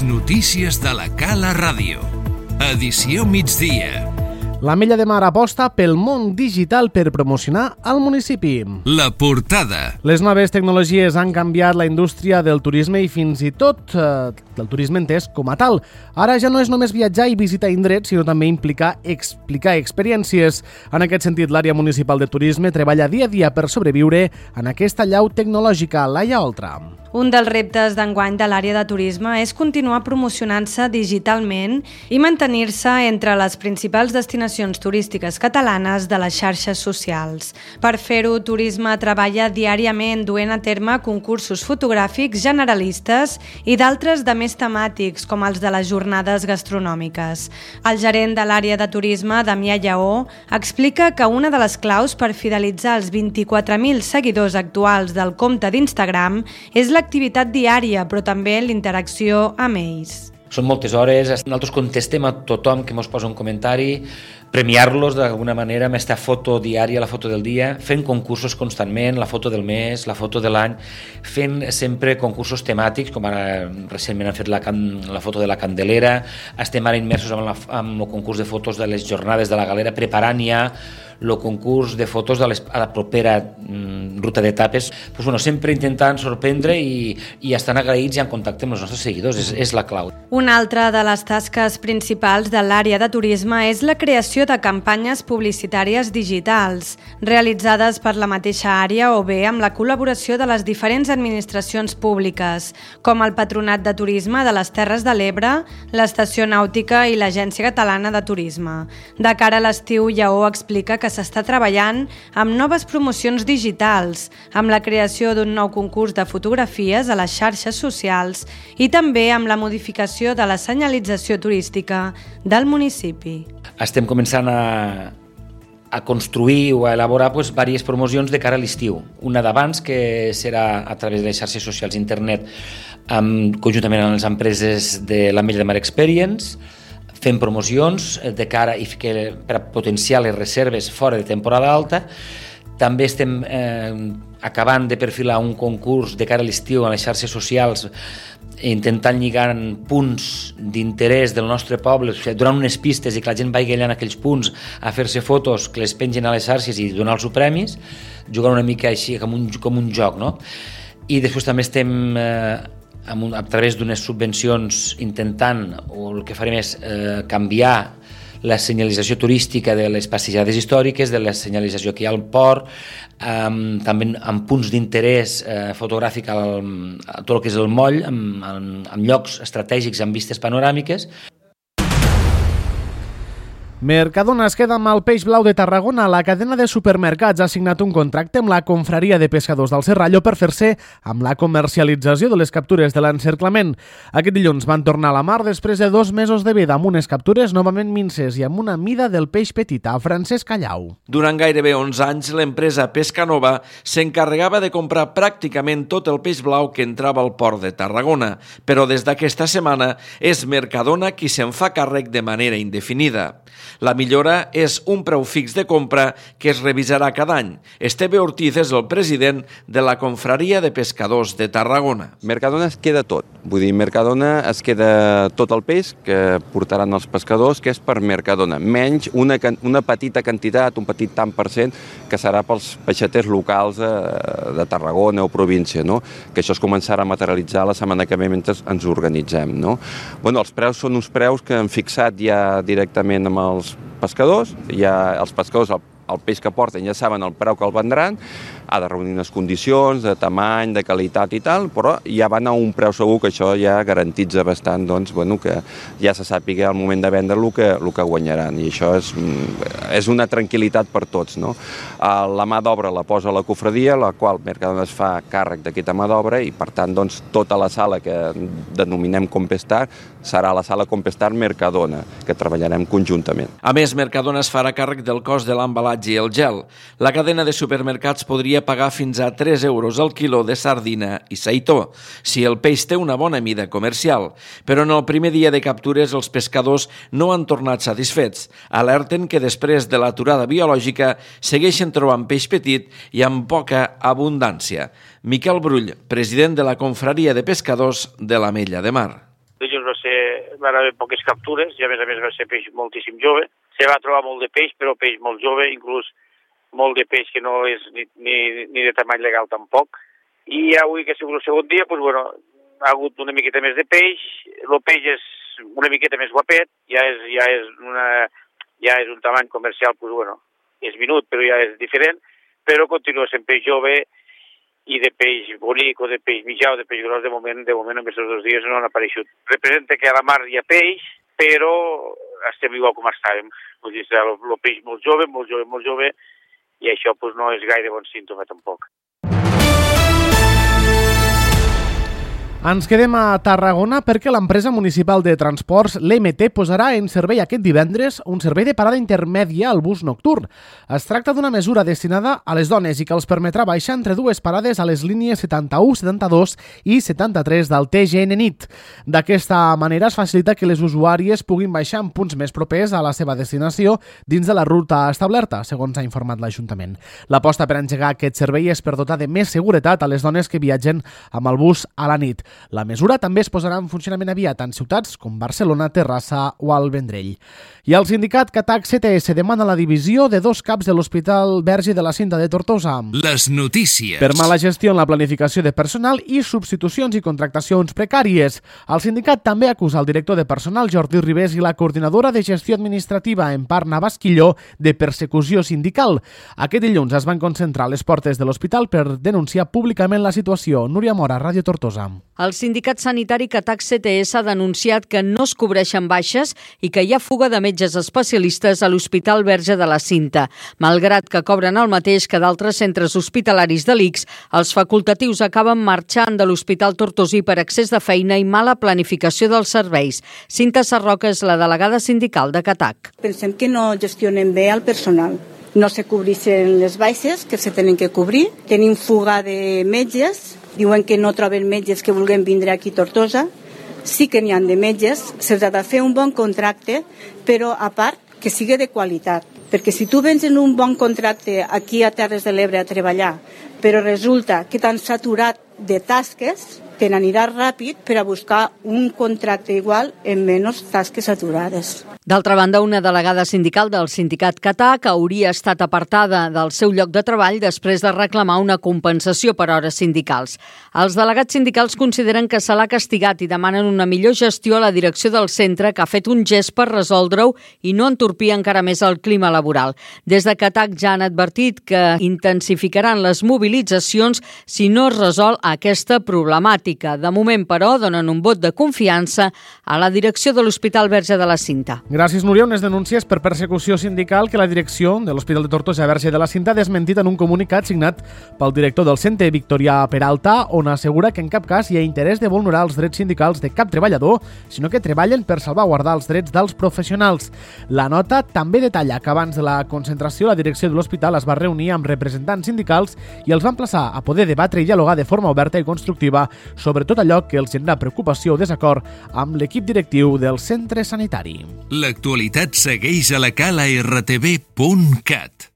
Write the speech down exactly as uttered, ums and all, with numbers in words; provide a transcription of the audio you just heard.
Les notícies de la Cala Ràdio. Edició migdia. L'Ametlla de Mar aposta pel món digital per promocionar el municipi. La portada. Les noves tecnologies han canviat la indústria del turisme i fins i tot eh, el turisme entès com a tal. Ara ja no és només viatjar i visitar indrets, sinó també implicar explicar experiències. En aquest sentit, l'àrea municipal de turisme treballa dia a dia per sobreviure en aquesta llau tecnològica. Laia Oltra. Un dels reptes d'enguany de l'àrea de turisme és continuar promocionant-se digitalment i mantenir-se entre les principals destinacions turístiques catalanes de les xarxes socials. Per fer-ho, Turisme treballa diàriament duent a terme concursos fotogràfics generalistes i d'altres de més temàtics, com els de les jornades gastronòmiques. El gerent de l'àrea de turisme, Damià Lleó, explica que una de les claus per fidelitzar els vint-i-quatre mil seguidors actuals del compte d'Instagram és la l'activitat diària, però també l'interacció amb ells. Són moltes hores, nosaltres contestem a tothom que ens posa un comentari, premiar-los d'alguna manera amb aquesta foto diària, la foto del dia, fent concursos constantment, la foto del mes, la foto de l'any, fent sempre concursos temàtics, com ara recentment han fet la, la foto de la Candelera, estem ara immersos amb, la, amb el concurs de fotos de les jornades de la Galera, preparant ja el concurs de fotos de les, a la propera mm, ruta d'etapes, pues, bueno, sempre intentant sorprendre i, i estan agraïts i en contacte amb els nostres seguidors, és, és la clau. Una altra de les tasques principals de l'àrea de turisme és la creació de campanyes publicitàries digitals, realitzades per la mateixa àrea o bé amb la col·laboració de les diferents administracions públiques, com el Patronat de Turisme de les Terres de l'Ebre, l'Estació Nàutica i l'Agència Catalana de Turisme. De cara a l'estiu, Lleó explica que s'està treballant amb noves promocions digitals, amb la creació d'un nou concurs de fotografies a les xarxes socials i també amb la modificació de la senyalització turística del municipi. Estem començant a, a construir o a elaborar pues, diverses promocions de cara a l'estiu. Una d'abans, que serà a través de les xarxes socials internet, amb, conjuntament amb les empreses de l'Ametlla de Mar Experience, fent promocions de cara i que, per a potenciar les reserves fora de temporada alta. També estem eh, acabant de perfilar un concurs de cara a l'estiu a les xarxes socials, intentant lligar punts d'interès del nostre poble, o sigui, donant unes pistes i que la gent vagi allà en aquells punts a fer-se fotos, que les pengen a les xarxes i donar-los premis, jugant una mica així com un, com un joc, no? I després també estem eh, amb un, a través d'unes subvencions intentant, o el que farem és eh, canviar la senyalització turística de les passejades històriques, de la senyalització que hi ha al port, eh, també amb punts d'interès eh, fotogràfic al, a tot el que és el moll, amb, amb, amb llocs estratègics amb vistes panoràmiques. Mercadona es queda amb el peix blau de Tarragona. La cadena de supermercats ha signat un contracte amb la Confraria de Pescadors del Serrallo per fer-se amb la comercialització de les captures de l'encerclament. Aquest dilluns van tornar a la mar després de dos mesos de vida amb unes captures novament minces i amb una mida del peix petit. A Francesc Callau. Durant gairebé onze anys, l'empresa Pescanova s'encarregava de comprar pràcticament tot el peix blau que entrava al port de Tarragona, però des d'aquesta setmana és Mercadona qui se'n fa càrrec de manera indefinida. La millora és un preu fix de compra que es revisarà cada any. Esteve Ortiz és el president de la Confraria de Pescadors de Tarragona. Mercadona es queda tot. Vull dir, Mercadona es queda tot el peix que portaran els pescadors, que és per Mercadona, menys una, una petita quantitat, un petit tant per cent, que serà pels peixaters locals de, de Tarragona o província, no? Que això es començarà a materialitzar la setmana que ve mentre ens organitzem, no? Bueno, els preus són uns preus que han fixat ja directament amb els pescadors, ja els pescadors, el, el peix que porten ja saben el preu que el vendran, ha de reunir unes condicions de tamany, de qualitat i tal, però ja van a un preu segur, que això ja garantitza bastant, doncs, bueno, que ja se sàpiga al moment de vendre el que, el que guanyaran, i això és, és una tranquil·litat per tots, no? La mà d'obra la posa la cofradia, la qual Mercadona es fa càrrec d'aquesta mà d'obra, i per tant, doncs, tota la sala que denominem Compestar serà la sala Compestar Mercadona, que treballarem conjuntament. A més, Mercadona es farà càrrec del cost de l'embalatge i el gel. La cadena de supermercats podria pagar fins a tres euros al quilo de sardina i seitó, si el peix té una bona mida comercial. Però en el primer dia de captures els pescadors no han tornat satisfets. Alerten que després de l'aturada biològica segueixen trobant peix petit i amb poca abundància. Miquel Brull, president de la Confraria de Pescadors de l'Ametlla de Mar. dies va ser, van haver poques captures i a més a més va ser peix moltíssim jove. Se va trobar molt de peix, però peix molt jove, inclús molt de peix que no és ni, ni, ni de tamany legal tampoc. I avui, que ha sigut el segon dia, doncs, bueno, ha hagut una miqueta més de peix, el peix és una miqueta més guapet, ja és, ja és, una, ja és un tamany comercial, doncs, bueno, és minut, però ja és diferent, però continua sent peix jove i de peix bonic o de peix mitjà o de peix gros, de moment, de moment en aquests dos dies no han apareixut. Representa que a la mar hi ha peix, però estem igual com estàvem. Vull dir, el, el peix molt jove, molt jove, molt jove, i això doncs, no és gaire bon símptoma tampoc. Ens quedem a Tarragona perquè l'empresa municipal de transports, l'E M T, posarà en servei aquest divendres un servei de parada intermèdia al bus nocturn. Es tracta d'una mesura destinada a les dones i que els permetrà baixar entre dues parades a les línies setanta-u, setanta-dos i setanta-tres del T G N nit. D'aquesta manera es facilita que les usuàries puguin baixar en punts més propers a la seva destinació dins de la ruta establerta, segons ha informat l'Ajuntament. L'aposta per engegar aquest servei és per dotar de més seguretat a les dones que viatgen amb el bus a la nit. La mesura també es posarà en funcionament aviat en ciutats com Barcelona, Terrassa o el Vendrell. I el sindicat Catac C T S demana la divisió de dos caps de l'Hospital Verge de la Cinta de Tortosa. Les notícies. Per mala gestió en la planificació de personal i substitucions i contractacions precàries. El sindicat també acusa el director de personal, Jordi Ribés, i la coordinadora de gestió administrativa, Empar Navasquilló, de persecució sindical. Aquest dilluns es van concentrar a les portes de l'hospital per denunciar públicament la situació. Núria Mora, Ràdio Tortosa. El sindicat sanitari Catac C T S ha denunciat que no es cobreixen baixes i que hi ha fuga de metges especialistes a l'Hospital Verge de la Cinta. Malgrat que cobren el mateix que d'altres centres hospitalaris de l'I C S, els facultatius acaben marxant de l'Hospital Tortosí per excés de feina i mala planificació dels serveis. Cinta Sarroca és la delegada sindical de Catac. Pensem que no gestionen bé el personal. No se cobreixen les baixes que se tenen que cobrir. Tenim fuga de metges. Diuen que no troben metges que vulguin vindre aquí a Tortosa. Sí que n'hi ha de metges, se'ls ha de fer un bon contracte, però a part que sigui de qualitat. Perquè si tu vens en un bon contracte aquí a Terres de l'Ebre a treballar, però resulta que t'han saturat de tasques, te n'aniràs ràpid per a buscar un contracte igual en menys tasques saturades. D'altra banda, una delegada sindical del sindicat Catac hauria estat apartada del seu lloc de treball després de reclamar una compensació per hores sindicals. Els delegats sindicals consideren que se l'ha castigat i demanen una millor gestió a la direcció del centre, que ha fet un gest per resoldre-ho i no entorpir encara més el clima laboral. Des de Catac ja han advertit que intensificaran les mobilitzacions si no es resol aquesta problemàtica. De moment, però, donen un vot de confiança a la direcció de l'Hospital Verge de la Cinta. Gràcies, Núria. Unes denúncies per persecució sindical que la direcció de l'Hospital de Tortosa Verge de la Cinta ha desmentit en un comunicat signat pel director del centre, Victorià Peralta, on assegura que en cap cas hi ha interès de vulnerar els drets sindicals de cap treballador, sinó que treballen per salvaguardar els drets dels professionals. La nota també detalla que abans de la concentració la direcció de l'hospital es va reunir amb representants sindicals i els va emplaçar a poder debatre i dialogar de forma oberta i constructiva sobre tot allò que els genera preocupació o desacord amb l'equip directiu del centre sanitari. L'actualitat segueix a la cala r t v punt cat.